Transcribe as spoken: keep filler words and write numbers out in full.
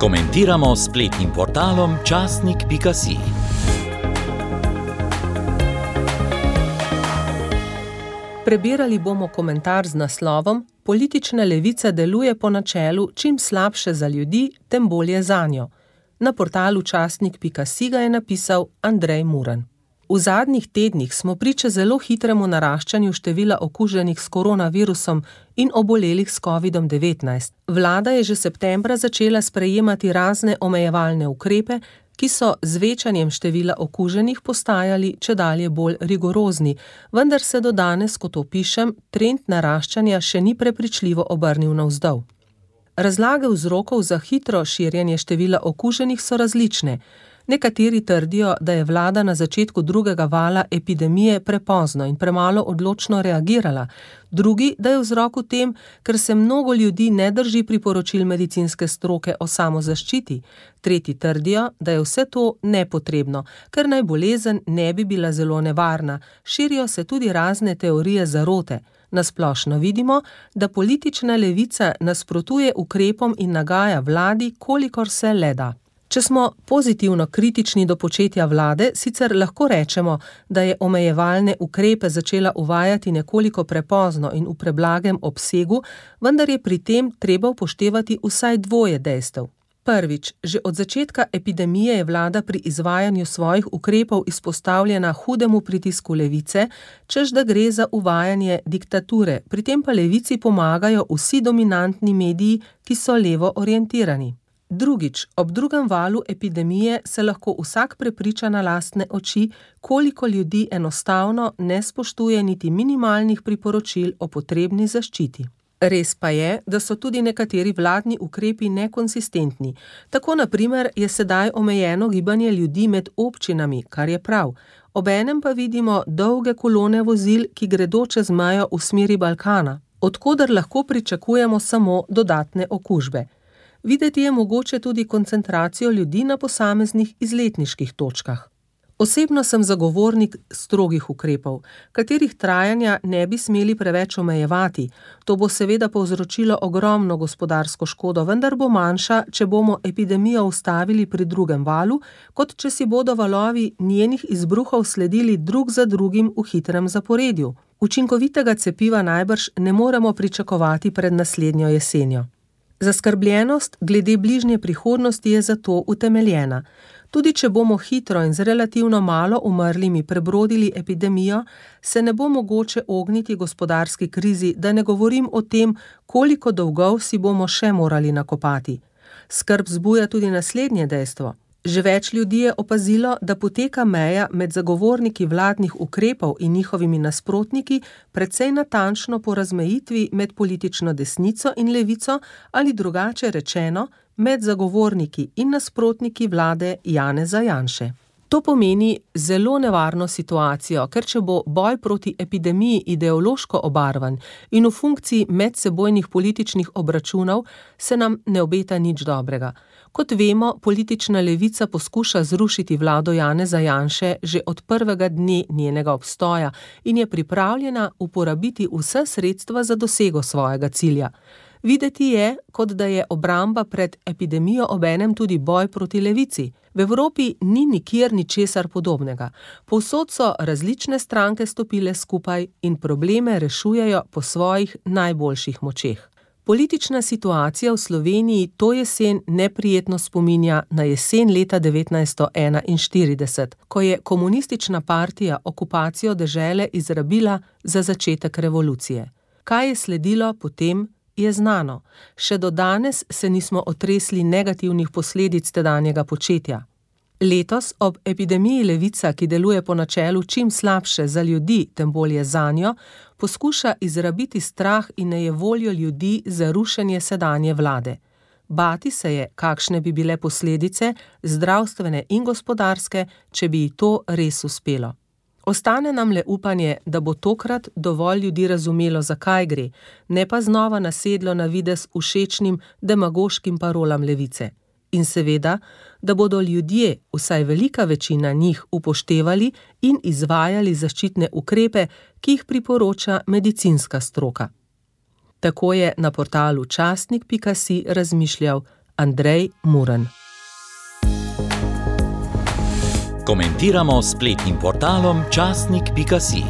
Komentiramo s spletnim portalom časnik pika si. Prebirali bomo komentar z naslovom Politična levica deluje po načelu čim slabše za ljudi, tem bolje zanjo. Na portalu časnik pika si ga je napisal Andrej Muran. V zadnjih tednih smo priče zelo hitremu naraščanju števila okuženih s koronavirusom in obolelih s kovidom devetnajst. Vlada je že septembra začela sprejemati razne omejevalne ukrepe, ki so z večanjem števila okuženih postajali čedalje bolj rigorozni, vendar se do danes, kot opišem, trend naraščanja še ni prepričljivo obrnil navzdol. Razlage vzrokov za hitro širjenje števila okuženih so različne. Nekateri trdijo, da je vlada na začetku drugega vala epidemije prepozno in premalo odločno reagirala, drugi, da je vzrok v tem, ker se mnogo ljudi ne drži priporočil medicinske stroke o samozaščiti, tretji trdijo, da je vse to nepotrebno, ker naj bolezen ne bi bila zelo nevarna, širijo se tudi razne teorije zarote. Nasplošno vidimo, da politična levica nasprotuje ukrepom in nagaja vladi, kolikor se le da. Če smo pozitivno kritični do početja vlade, sicer lahko rečemo, da je omejevalne ukrepe začela uvajati nekoliko prepozno in v preblagem obsegu, vendar je pri tem treba upoštevati vsaj dvoje dejstev. Prvič, že od začetka epidemije je vlada pri izvajanju svojih ukrepov izpostavljena hudemu pritisku levice, češ da gre za uvajanje diktature, pri tem pa levici pomagajo vsi dominantni mediji, ki so levo orientirani. Drugič, ob drugem valu epidemije se lahko vsak prepriča na lastne oči, koliko ljudi enostavno ne spoštuje niti minimalnih priporočil o potrebni zaščiti. Res pa je, da so tudi nekateri vladni ukrepi nekonsistentni. Tako na primer je sedaj omejeno gibanje ljudi med občinami, kar je prav. Obenem pa vidimo dolge kolone vozil, ki gredo čez mejo v smeri Balkana, od koder lahko pričakujemo samo dodatne okužbe. Videti je mogoče tudi koncentracijo ljudi na posameznih izletniških točkah. Osebno sem zagovornik strogih ukrepov, katerih trajanja ne bi smeli preveč omejevati. To bo seveda povzročilo ogromno gospodarsko škodo, vendar bo manjša, če bomo epidemijo ustavili pri drugem valu, kot če si bodo valovi njenih izbruhov sledili drug za drugim v hitrem zaporedju. Učinkovitega cepiva najbrž ne moremo pričakovati pred naslednjo jesenjo. Zaskrbljenost glede bližnje prihodnosti je zato utemeljena. Tudi če bomo hitro in z relativno malo umrlimi prebrodili epidemijo, se ne bo mogoče ogniti gospodarski krizi, da ne govorim o tem, koliko dolgov si bomo še morali nakopati. Skrb vzbuja tudi naslednje dejstvo. Že več ljudi je opazilo, da poteka meja med zagovorniki vladnih ukrepov in njihovimi nasprotniki precej natančno po razmejitvi med politično desnico in levico ali drugače rečeno med zagovorniki in nasprotniki vlade Janeza Janše. To pomeni zelo nevarno situacijo, ker če bo boj proti epidemiji ideološko obarvan in v funkciji medsebojnih političnih obračunov, se nam ne obeta nič dobrega. Kot vemo, politična levica poskuša zrušiti vlado Janeza Janše že od prvega dne njenega obstoja in je pripravljena uporabiti vse sredstva za dosego svojega cilja. Videti je, kot da je obramba pred epidemijo obenem tudi boj proti levici. V Evropi ni nikjer ničesar podobnega. Povsod so različne stranke stopile skupaj in probleme rešujejo po svojih najboljših močeh. Politična situacija v Sloveniji to jesen neprijetno spominja na jesen leta devetnajststo enainštirideset, ko je komunistična partija okupacijo dežele izrabila za začetek revolucije. Kaj je sledilo potem, je znano. Še do danes se nismo otresli negativnih posledic tedanjega početja. Letos ob epidemiji levica, ki deluje po načelu čim slabše za ljudi, tem bolje zanjo, poskuša izrabiti strah in nejevoljo ljudi za rušenje sedanje vlade. Bati se je, kakšne bi bile posledice, zdravstvene in gospodarske, če bi ji to res uspelo. Ostane nam le upanje, da bo tokrat dovolj ljudi razumelo, zakaj gre, ne pa znova nasedlo na videz všečnim demagoškim parolam levice. In seveda, da bodo ljudje, vsaj velika večina njih, upoštevali in izvajali zaščitne ukrepe, ki jih priporoča medicinska stroka. Tako je na portalu časnik pika si razmišljal Andrej Muren. Komentiramo s spletnim portalom časnik pika si.